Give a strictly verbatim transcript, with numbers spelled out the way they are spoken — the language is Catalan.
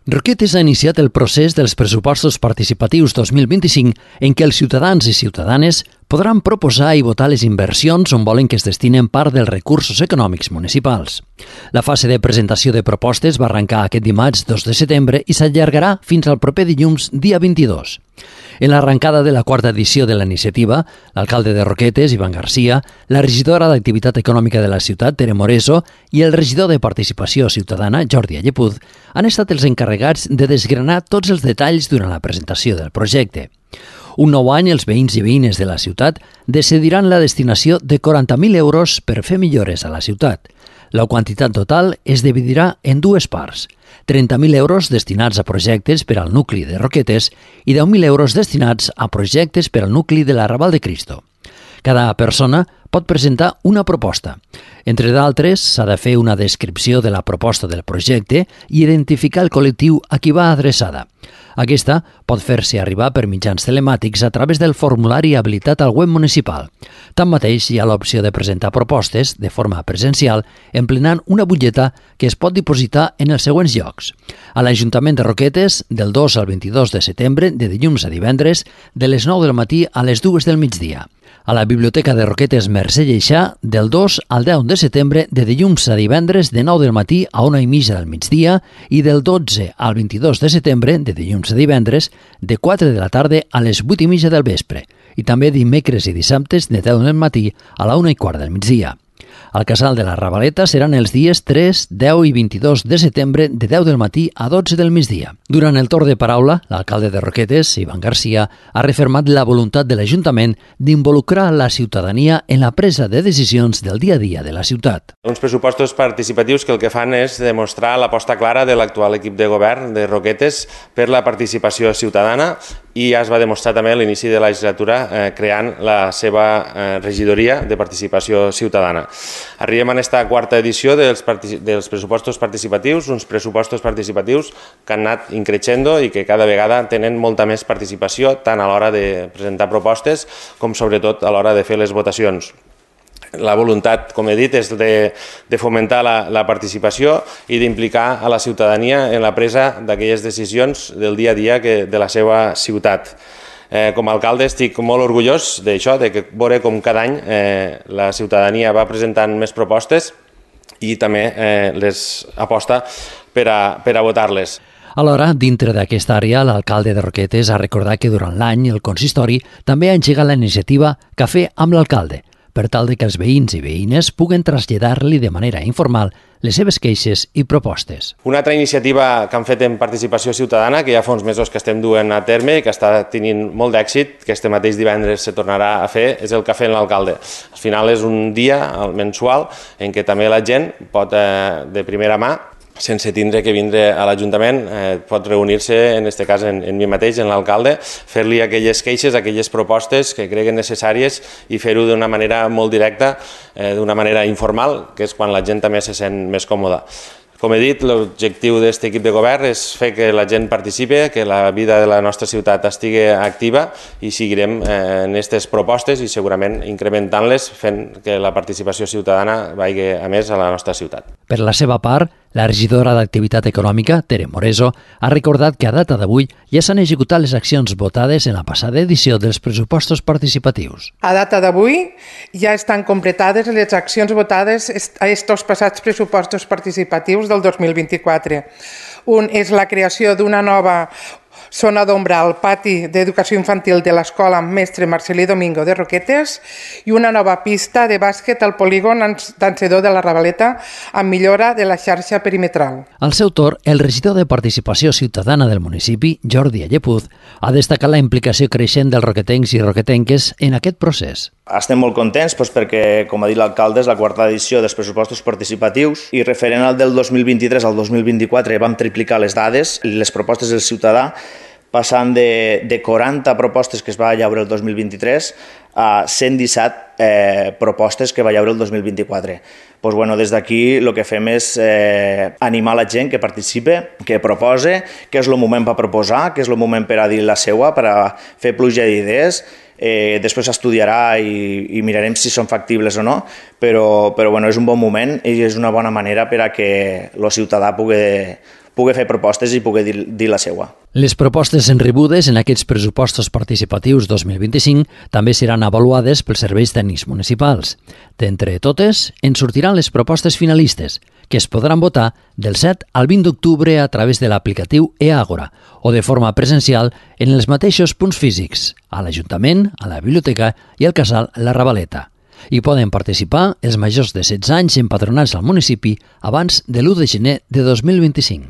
Roquetes ha iniciat el procés dels pressupostos participatius dos mil vint-i-cinc en què els ciutadans i ciutadanes podran proposar i votar les inversions on volen que es destinen part dels recursos econòmics municipals. La fase de presentació de propostes va arrencar aquest dimarts dos de setembre i s'allargarà fins al proper dilluns dia vint-i-dos. En l'arrencada de la quarta edició de la iniciativa, l'alcalde de Roquetes, Ivan Garcia, la regidora d'Activitat Econòmica de la ciutat, Tere Moreso, i el regidor de Participació Ciutadana, Jordi Allepuz, han estat els encarregats de desgranar tots els detalls durant la presentació del projecte. Un nou any, els veïns i veïnes de la ciutat decidiran la destinació de quaranta mil euros per fer millores a la ciutat. La quantitat total es dividirà en dues parts, trenta mil euros destinats a projectes per al nucli de Roquetes i deu mil euros destinats a projectes per al nucli de la Raval de Cristo. Cada persona pot presentar una proposta. Entre d'altres, s'ha de fer una descripció de la proposta del projecte i identificar el col·lectiu a qui va adreçada. Aquesta pot fer-se arribar per mitjans telemàtics a través del formulari habilitat al web municipal. Tanmateix, hi ha l'opció de presentar propostes de forma presencial emplenant una butlleta que es pot dipositar en els següents llocs. A l'Ajuntament de Roquetes, del dos al vint-i-dos de setembre, de dilluns a divendres, de les nou del matí a les dues del migdia. A la Biblioteca de Roquetes Mercè Lleixà, del dos al deu de setembre, de dilluns a divendres, de nou del matí a una i mitja del migdia, i del dotze al vint-i-dos de setembre, de dilluns a divendres, de quatre de la tarda a les vuit i mitja del vespre, i també dimecres i dissabtes de deu del matí a la una i quart del migdia. Al Casal de la Ravaleta seran els dies tres, deu i vint-i-dos de setembre de deu del matí a dotze del migdia. Durant el torn de paraula, l'alcalde de Roquetes, Ivan Garcia, ha refermat la voluntat de l'Ajuntament d'involucrar la ciutadania en la presa de decisions del dia a dia de la ciutat. Uns pressupostos participatius que el que fan és demostrar l'aposta clara de l'actual equip de govern de Roquetes per la participació ciutadana i ja es va demostrar també a l'inici de la legislatura eh, creant la seva eh, regidoria de participació ciutadana. Arribem a aquesta quarta edició dels, dels pressupostos participatius, uns pressupostos participatius que han anat increixendo i que cada vegada tenen molta més participació, tant a l'hora de presentar propostes com sobretot a l'hora de fer les votacions. La voluntat, com he dit, és de, de fomentar la, la participació i d'implicar a la ciutadania en la presa d'aquelles decisions del dia a dia que, de la seva ciutat. Eh, com a alcalde estic molt orgullós d'això, de que veure com cada any eh, la ciutadania va presentant més propostes i també eh, les aposta per a, per a votar-les. Alhora, dintre d'aquesta àrea, l'alcalde de Roquetes ha recordat que durant l'any el consistori també ha engegat la iniciativa Cafè amb l'alcalde, per tal de que els veïns i veïnes puguen traslladar-li de manera informal les seves queixes i propostes. Una altra iniciativa que han fet en participació ciutadana, que ja fa uns mesos que estem duent a terme i que està tenint molt d'èxit, que este mateix divendres se tornarà a fer, és el Cafè amb l'alcalde. Al final és un dia mensual en què també la gent pot, eh, de primera mà, sense tindre que vindre a l'Ajuntament, eh, pot reunir-se, en aquest cas en, en mi mateix, en l'alcalde, fer-li aquelles queixes, aquelles propostes que creguen necessàries i fer-ho d'una manera molt directa, eh, d'una manera informal, que és quan la gent també se sent més còmoda. Com he dit, l'objectiu d'aquest equip de govern és fer que la gent participi, que la vida de la nostra ciutat estigui activa i seguirem eh, en aquestes propostes i segurament incrementant-les, fent que la participació ciutadana vagi a més a la nostra ciutat. Per la seva part, la regidora d'Activitat Econòmica, Tere Moreso, ha recordat que a data d'avui ja s'han executat les accions votades en la passada edició dels pressupostos participatius. A data d'avui ja estan completades les accions votades a estos passats pressupostos participatius del dos mil vint-i-quatre. Un és la creació d'una nova zona d'ombra al pati d'educació infantil de l'Escola Mestre Marcelí Domingo de Roquetes i una nova pista de bàsquet al polígon Dansedor de la Ravaleta amb millora de la xarxa perimetral. Al seu torn, el regidor de Participació Ciutadana del municipi, Jordi Allepuz, ha destacat la implicació creixent dels roquetencs i roquetenques en aquest procés. Estem molt contents doncs, perquè, com ha dit l'alcalde, és la quarta edició dels pressupostos participatius i referent al del dos mil vint-i-tres al dos mil vint-i-quatre vam triplicar les dades, les propostes del ciutadà, passant de, de quaranta propostes que es va llaure el dos mil vint-i-tres a cent disset eh, propostes que va llaure el dos mil vint-i-quatre. Pues, bueno, des d'aquí el que fem és eh, animar la gent que participe, que propose, que és el moment per proposar, que és el moment per a dir la seua, per a fer pluja d'idees. Eh, després s'estudiarà i, i mirarem si són factibles o no, però, però bueno, és un bon moment i és una bona manera per a que el ciutadà pugui, pugui fer propostes i pugui dir, dir la seua. Les propostes rebudes en aquests pressupostos participatius dos mil vint-i-cinc també seran avaluades pels serveis tècnics municipals. D'entre totes, en sortiran les propostes finalistes, que es podran votar del set al vint d'octubre a través de l'aplicatiu e-Àgora o de forma presencial en els mateixos punts físics, a l'Ajuntament, a la Biblioteca i al Casal La Ravaleta. Hi poden participar els majors de setze anys empadronats al municipi abans de l'u de gener de dos mil vint-i-cinc.